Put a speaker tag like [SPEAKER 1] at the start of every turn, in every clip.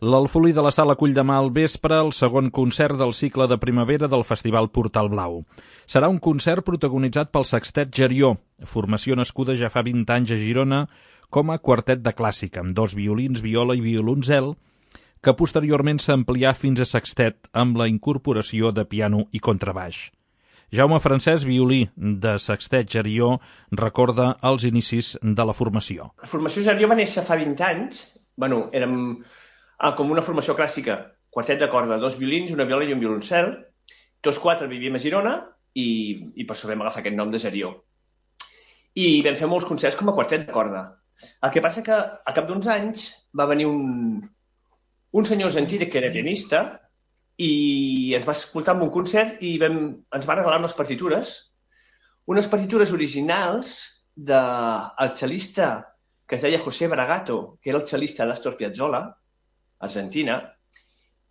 [SPEAKER 1] L'Alfolí de la Sala acull demà al vespre el segon concert del cicle de primavera del Festival Portal Blau. Serà un concert protagonitzat pel Sextet Gerió, formació nascuda ja fa 20 anys a Girona com a quartet de clàssica, amb 2 violins, viola i violoncel, que posteriorment s'amplià fins a sextet amb la incorporació de piano i contrabaix. Jaume Francesc, violí de Sextet Gerió, recorda els inicis de la formació.
[SPEAKER 2] La formació Gerió va néixer fa 20 anys. Érem com una formació clàssica, quartet de corda, 2 violins, una viola i un violoncel. Tots 4 vivíem a Girona i per això vam agafar aquest nom de Gerió. I vam fer molts concerts com a quartet de corda. El que passa que a cap d'uns anys va venir un senyor argentí que era pianista i ens va escoltar en un concert i ens va regalar unes partitures originals del xelista que es deia José Bragato, que era el xelista d'Astor Piazzolla, Argentina,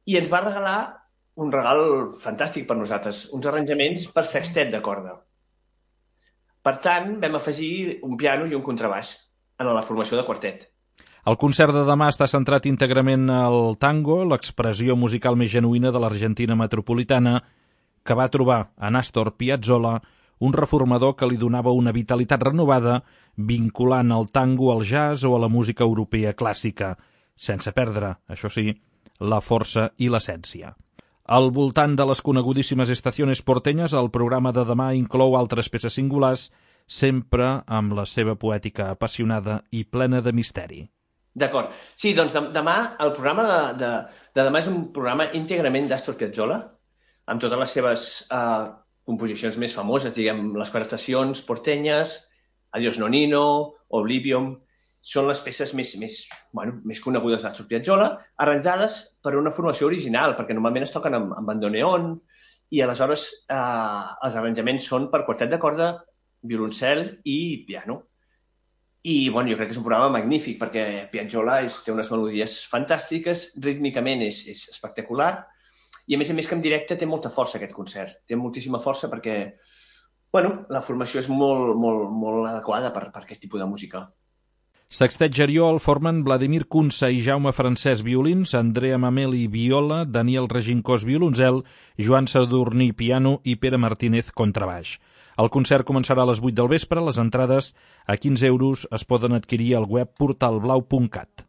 [SPEAKER 2] i ens va regalar un regal fantàstic per nosaltres, uns arranjaments per sextet de corda. Per tant, vam afegir un piano i un contrabaix en la formació de quartet.
[SPEAKER 1] El concert de demà està centrat íntegrament al tango, l'expressió musical més genuïna de l'Argentina metropolitana, que va trobar en Astor Piazzolla un reformador que li donava una vitalitat renovada, vinculant el tango al jazz o a la música europea clàssica, sense perdre, això sí, la força i l'essència. Al voltant de les conegudíssimes Estaciones Porteñas, el programa de demà inclou altres peces singulars, sempre amb la seva poètica apassionada i plena de misteri.
[SPEAKER 2] D'acord. Sí, doncs demà, el programa de demà és un programa íntegrament d'Astor Piazzolla, amb totes les seves composicions més famoses, diguem, les 4 estacions portenyes, Adiós Nonino, Oblivion, són les peces més conegudes d'Astor Piazzolla, arranjades per una formació original, perquè normalment es toquen amb bandoneon, i aleshores els arranjaments són per quartet de corda, violoncel i piano. I jo crec que és un programa magnífic perquè Piazzolla té unes melodies fantàstiques, rítmicament és espectacular i a més que en directe té molta força aquest concert. Té moltíssima força perquè la formació és molt adequada per aquest tipus de música.
[SPEAKER 1] Sextet Gerió el formen Vladimir Kunsa i Jaume Francesc violins, Andrea Mameli viola, Daniel Regincós violoncel, Joan Sadurní piano i Pere Martínez contrabaix. El concert començarà a les 8 del vespre. Les entrades a 15 € es poden adquirir al web portalblau.cat.